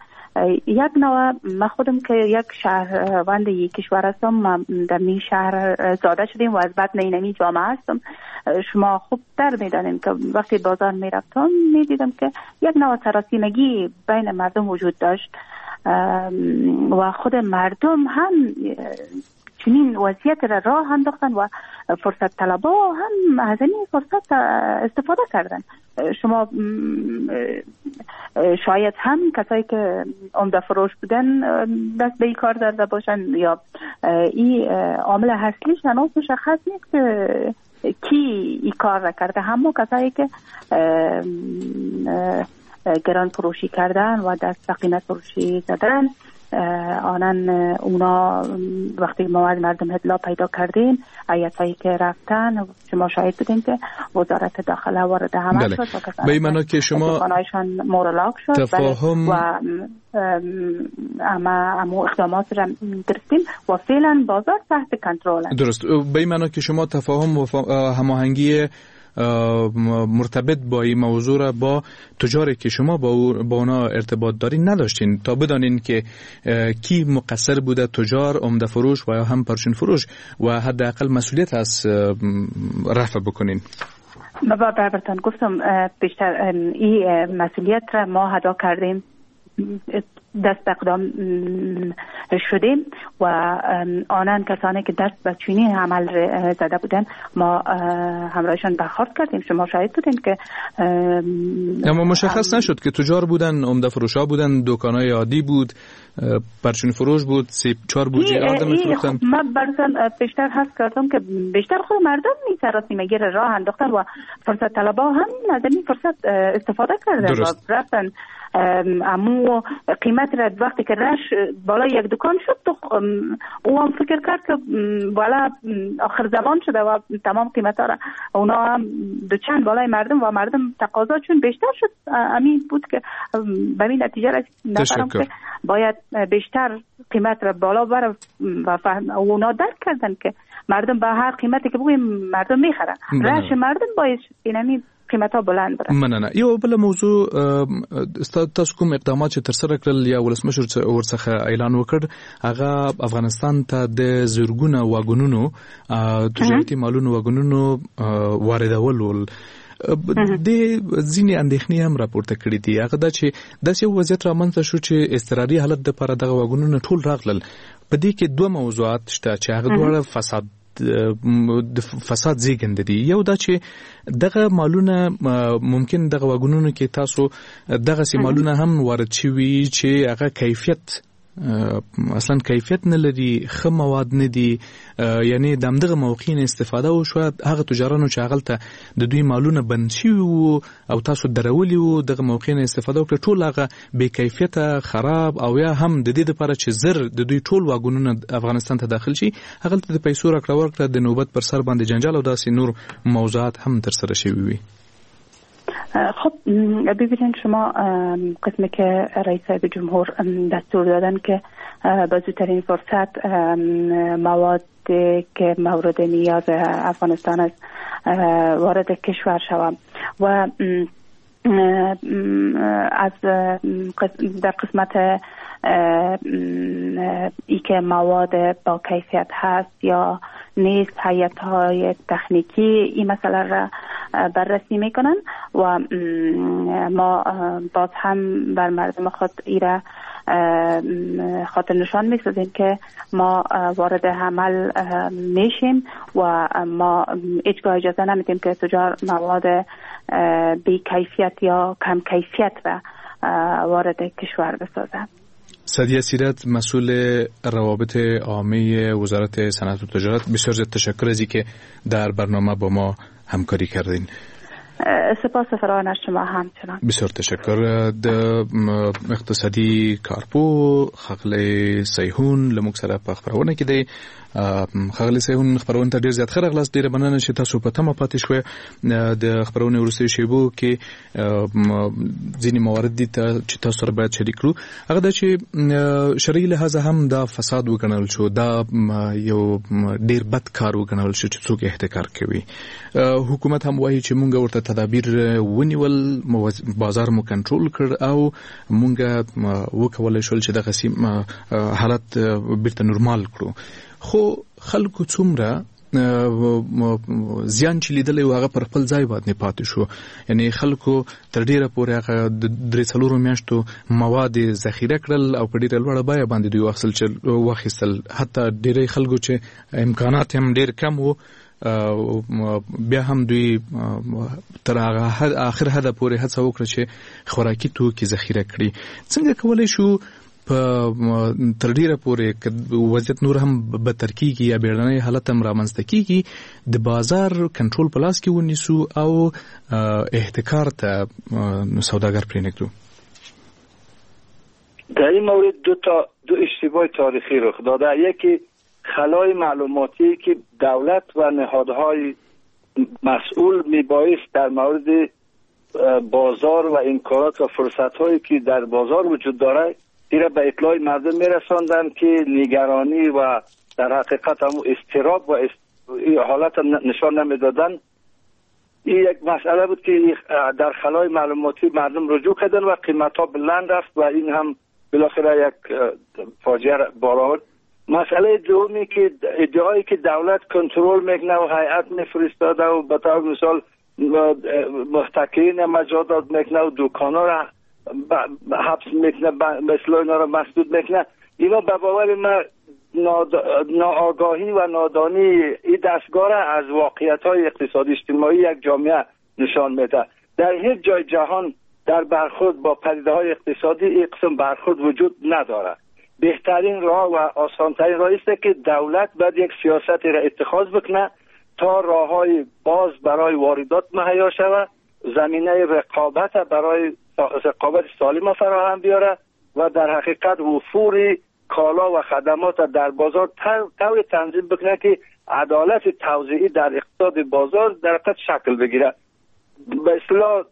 یک نوع ما خودم که یک شهروند یک کشور هستم، ما در این شهر زاده شدیم و از بطن اینمی جامعه هستم. شما خوب در میدانیم که وقتی بازار میرفتم میدیدم که یک نوع سراسیمگی بین مردم وجود داشت و خود مردم هم چنین وضعیت را راه انداختن و فرصت طلبا هم از این فرصت استفاده کردن. شما شاید هم کسایی که عمده فروش بودن دست به این کار زده باشن یا این عامل اصلیش هنوز مشخص نیست که کی این کار را کرده. همون کسایی که گران فروشی کردن و دست به قیمت فروشی زدن آنان اونا وقتی ما از مردم اطلاع پیدا کردیم، هیئت‌هایی که رفتن، شما شاهد بودین که وزارت داخله وارد عمل شد. به این معنا که شما دکان‌هایشان مورلاک شد تفاهم و اما اقدامات را گرفتیم و فعلا بازار تحت کنترل است. درست. به این معنا که شما تفاهم و هماهنگی مرتبط با این موضوع را با تجاری که شما با اونا ارتباط دارین نداشتین تا بدانین که کی مقصر بوده، تجار، عمده فروش و یا هم پرچون فروش، و حداقل مسئولیت از رفع بکنین. ما براتون گفتم بیشتر این مسئولیت را ما ادا کردیم، دست به اقدام شدیم و آنان کسانی که دست به چنین عمل زده بودن ما همراهشان برخورد کردیم. شما شاهد بودین که اما مشخص نشد که تجار بودن، عمده فروشا بودن، دکانای عادی بود، پرچون فروش بود، 3-4 بوجه آدم می‌فروختن. من براتون بیشتر حس کردم که بیشتر خود مردم این سراسیمگی را راه انداختن و فرصت طلبا هم از این فرصت استفاده کردن و رفتن امو قیمت را وقتی که رش بالای یک دکان شد تو او هم فکر کرد که بالا آخر زمان شده و تمام قیمت ها را اونا هم دوچند بالای مردم و مردم تقاضا چون بیشتر شد، امین بود که به این نتیجه رسید که باید بیشتر قیمت را بالا بره و اونا درک کردن که مردم به هر قیمتی که بگویم مردم میخرن، رش مردم باید اینمی قیمت ها بلند بره. مننه. یو بل موضوع، تاسو کوم اقدامات چې ترسره کړل یا ولسمشر ورڅخه اعلان وکړ، هغه افغانستان ته د زرګونه واګونونو تجارتي مالونو واګونونو واردول ول. د ځینې اندېښنې هم راپورته کړې دي، هغه دا چې داسې یو وضعیت رامنځته شو چې اضطراري حالت دپاره دغه واګونونه ټول راغلل. په دې کې دوه موضوعات شته چې هغه دواړه فساد د فساد زیږنده دي. یو دا چې دغه مالونه ممکن دغه واګونونو کې تاسو دغه سي مالونه هم وارد شوي چې هغه کیفیت اصلا کیفیت نه لري، ښه مواد نه دي، یعنی د همدغه موقع نه استفاده وشوه. هغه تجارانو چې هغلته د دوی مالونه بند شوي وو او تاسو درولي وو، دغه موقع نه استفاده وکړه، ټول هغه بې کیفیته خراب او یا هم د دې لپاره چې زر د دوی ټول واګونونه افغانستان ته داخل شي، هغلته د پیسو راکړه ورکړه د نوبت پر سر باندې جنجال او داسې نور موضوعات هم ترسره شوي وي. خب ببینید شما قسمی که رئیس صاحب جمهور دستور دادن که با زودترین فرصت مواد که مورد نیاز افغانستان است وارد کشور شوند و از در قسمت ای که مواد با کیفیت هست یا نیست، هیئت های تکنیکی این مسئله را بررسی میکنن و ما باز هم بر مردم خود ایره خاطر نشان میسازیم که ما وارد عمل میشیم و ما هیچگاه اجازه نمیدیم که تجار مواد بی کیفیت یا کم کیفیت را وارد کشور بسازند. سعدیه سیرت، مسئول روابط عامه وزارت صنعت و تجارت، بسیار زیاد تشکر از اینکه در برنامه با ما همکاری کردین. سپاس فراوان از شما همچنان. بسیار تشکر. د اقتصادي کارپو ښاغلی سیحون له موږ سره په خپرونه کې دی. ښاغلی سیحون، خپرونې ته ډېر زیات ښه راغلاست، ډېره مننه چې تاسو په تمه پاتې شوئ. د خپرونې وروستیو شیبو کې ځینې موارد دي چې تاسو سره باید شریک کړو. هغه دا چې شرعي لحاظه هم دا فساد وګڼل شو، دا یو ډېر بد کار وګڼل شو چې څوک احتکار کوي. حکومت هم وایي چې مونږ ورته تدابیر ونیول، بازار مو کنټرول کړ او مونږ وکولای شول چې دغه حالت بیرته نورمال کړو. خو خلکو څومره زیان چې لیدلی و هغه پر خپل ځای باندې پاتې شو. یعنی خلکو تر ډیره پورې هغه د 3-4 میاشتو مواد ذخیره کړل او په ډیره لوړه بیه باندې دوی واخیستل. حتی ډیری خلکو چې امکانات هم ډیر کم وو، بیا هم دوی تر هغه آخر حده پورې هڅه وکړه چې خوراکي توکي ذخیره کړي. څنګه کولی شو په تر ډیره پورې وضعیت نور هم بدتر کیږي یا بیړنی حالت هم رامنځته کیږي، د بازار کنټرول په لاس کې ونیسو او احتکار ته سوداګر پرېنږدو؟ در این مورد دو اشتباه تاریخی رخ داده. یکی خلای معلوماتی که دولت و نهادهای مسئول میبایست در مورد بازار و امکانات و فرصت‌هایی که در بازار وجود داره ایرا به اطلاع مردم میرساندن که نگرانی و در حقیقت هم اضطراب و حالت نشان نمیدادن. این یک مسئله بود که در خلای معلوماتی مردم رجوع کردن و قیمت‌ها بلند رفت و این هم بالاخره یک فاجعه بار آورد. مسئله دومی که ادعایی که دولت کنترل میکنه و هیئت میفرستاده و به طور مثال محتکرین مجازات میکنه و دکان‌ها را حبس میکنه، مثل اینا را مسدود میکنه، اینا به باور من ناآگاهی و نادانی این دستگاه را از واقعیت‌های اقتصادی اجتماعی یک جامعه نشان میده. در هیچ جای جهان در برخورد با پدیده‌های اقتصادی این قسم برخورد وجود نداره. بهترین راه و آسانترین راه است که دولت باید یک سیاستی را اتخاذ بکنه تا راه‌های باز برای واردات مهیا شود، زمینه رقابت برای رقابت سالم فراهم بیاره و در حقیقت وفور کالا و خدمات در بازار طور تنظیم بکنه که عدالت توزیعی در اقتصاد بازار در حقیقت شکل بگیره. به اصطلاح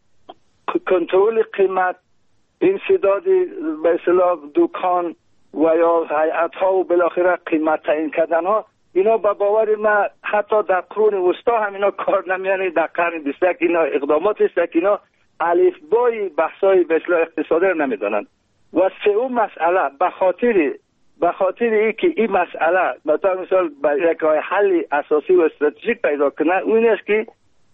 کنترل قیمت، انسداد به اصطلاح دکان و یا هیئت ها و بالاخره قیمت تعیین کردن ها، اینا به باور من حتی در قرون وسطا هم اینا کار نمیانه. در قرن 21 اینا اقدامات است که اینا الفبای بحث‌های به اصطلاح اقتصادی رو نمیدانند. و سوم مسئله به خاطر اینکه این مسئله مثلا مثال یک راه حل اساسی و استراتژیک پیدا کنه، اون است که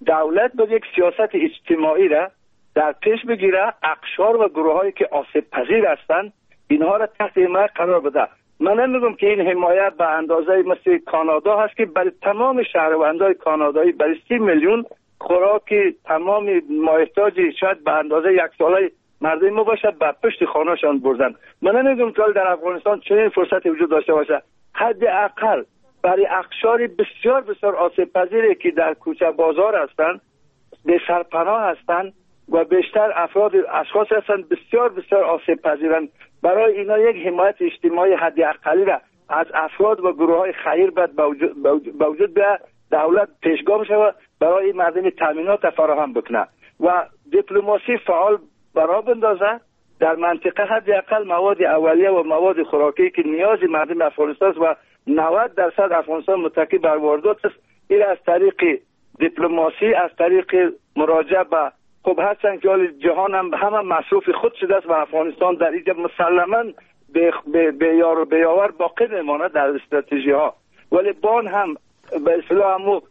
دولت باید یک سیاست اجتماعی را در پیش بگیره، اقشار و گروه‌هایی که آسیب پذیر هستند اینها را تحت حمایت قرار بده. من نمیگم که این حمایت به اندازه مثل کانادا هست که برای تمام شهروندای کانادایی برای 30 میلیون خوراک تمام مایحتاج شاید به اندازه یک ساله مردم ما باشه به پشت خانه‌شان بردن. من نمیگم که در افغانستان چنین فرصتی وجود داشته باشه. حداقل برای اقشار بسیار بسیار آسیب پذیری که در کوچه بازار هستند، به سرپناه هستند و بیشتر افراد اشخاص هستند بسیار بسیار آسیب پذیرند، برای اینا یک حمایت اجتماعی حداقلی را از افراد و گروه‌های خیر باید به وجود بیاید، دولت پیشگام شود برای مردم تامینات فراهم بکنه و دیپلماسی فعال برا بندازه در منطقه. حداقل مواد اولیه و مواد خوراکی که نیاز مردم افغانستان است و 90% افغانستان متکی بر واردات است، این از طریق دیپلماسی، از طریق مراجعه به خب هرچند که جهان هم همه مصروف خود شده است و افغانستان در اینجا مسلما به یار و به یاور باقی میماند در استراتژی ها، ولی بان هم به اصطلاح همو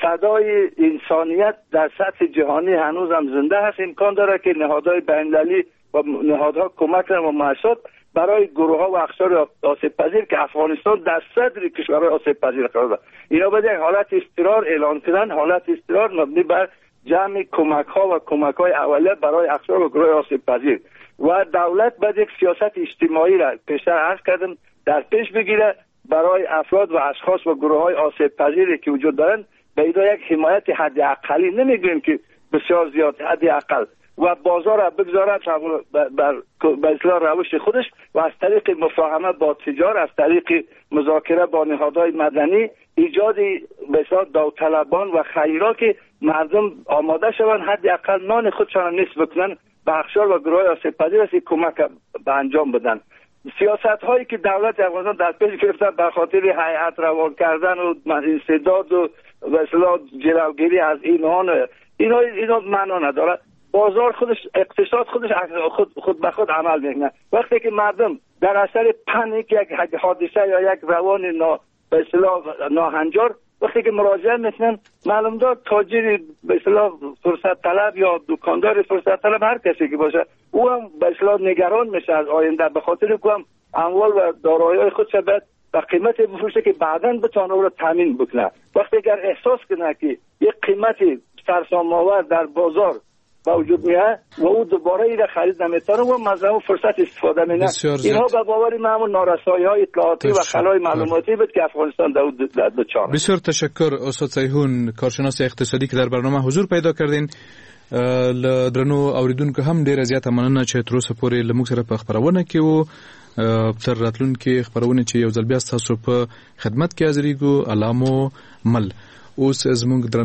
صدای انسانیت در سطح جهانی هنوز هم زنده هست. امکان داره که نهادهای بین‌المللی و نهادها کمک کنند و مؤسسات برای گروه ها و اقشار آسیب پذیر که افغانستان در صدر کشورهای آسیب پذیر قرار دارد، اینا باید یک حالت اضطرار اعلان کنند. حالت اضطرار مبنی بر جمع کمک ها و کمک های اولیه برای اقشار و گروه آسیب پذیر و دولت باید یک سیاست اجتماعی را پیشتر عرض کردم در پیش بگیره برای افراد و اشخاص و گروه های آسیب پذیری که وجود دارند، به اینا یک حمایت حداقلی، نمیگویم که بسیار زیاد، حداقل، و بازار را بگذارد بر به اصطلاح روش خودش و از طریق مفاهمه با تجار، از طریق مذاکره با نهادهای مدنی، ایجاد به اصطلاح داوطلبان و خیرا که مردم آماده شوند حداقل نان خودشان نصف بکنن به اقشار و گروه آسیب پذیر است کمک به انجام بدن. سیاست هایی که دولت افغانستان در پیش گرفته به خاطر هیئت روان کردن و انسداد و به اصطلاح جلوگیری از اینها معنا نداره. بازار خودش، اقتصاد خودش خود به خود عمل میکنه. وقتی که مردم در اثر پنیک یک حادثه یا یک روان به اصطلاح ناهنجار وقتی که مراجعه میکنن، معلوم دار تاجر به اصطلاح فرصت طلب یا دکاندار فرصت طلب هر کسی که باشه، او هم به اصطلاح نگران میشه از آینده، به خاطر که هم اموال و دارایی خودش باید به قیمت بفروشه که بعداً بتونه او را تامین بکنه. وقتی اگر احساس کنه که یک قیمت سرسام‌آور در بازار با وجود میاد و او دوباره ایره خرید نمیتونه و مزاحم فرصت استفاده میکنه، اینها به باور من همون نارسایی های اطلاعاتی و خلای معلوماتی بود که افغانستان در دچار. بسیار تشکر استاد سیحون، کارشناس اقتصادی که در برنامه حضور پیدا کردین. له درنو اوریدونکو هم ډیره زیاته مننه چې تر اوسه پورې له موږ سره په خبرونه کې وو. تر راتلونکي خبرونه چې یو ځل بیا تاسو په خدمت کې حاضرېږو، الله مو مل. اوس زموږ درنو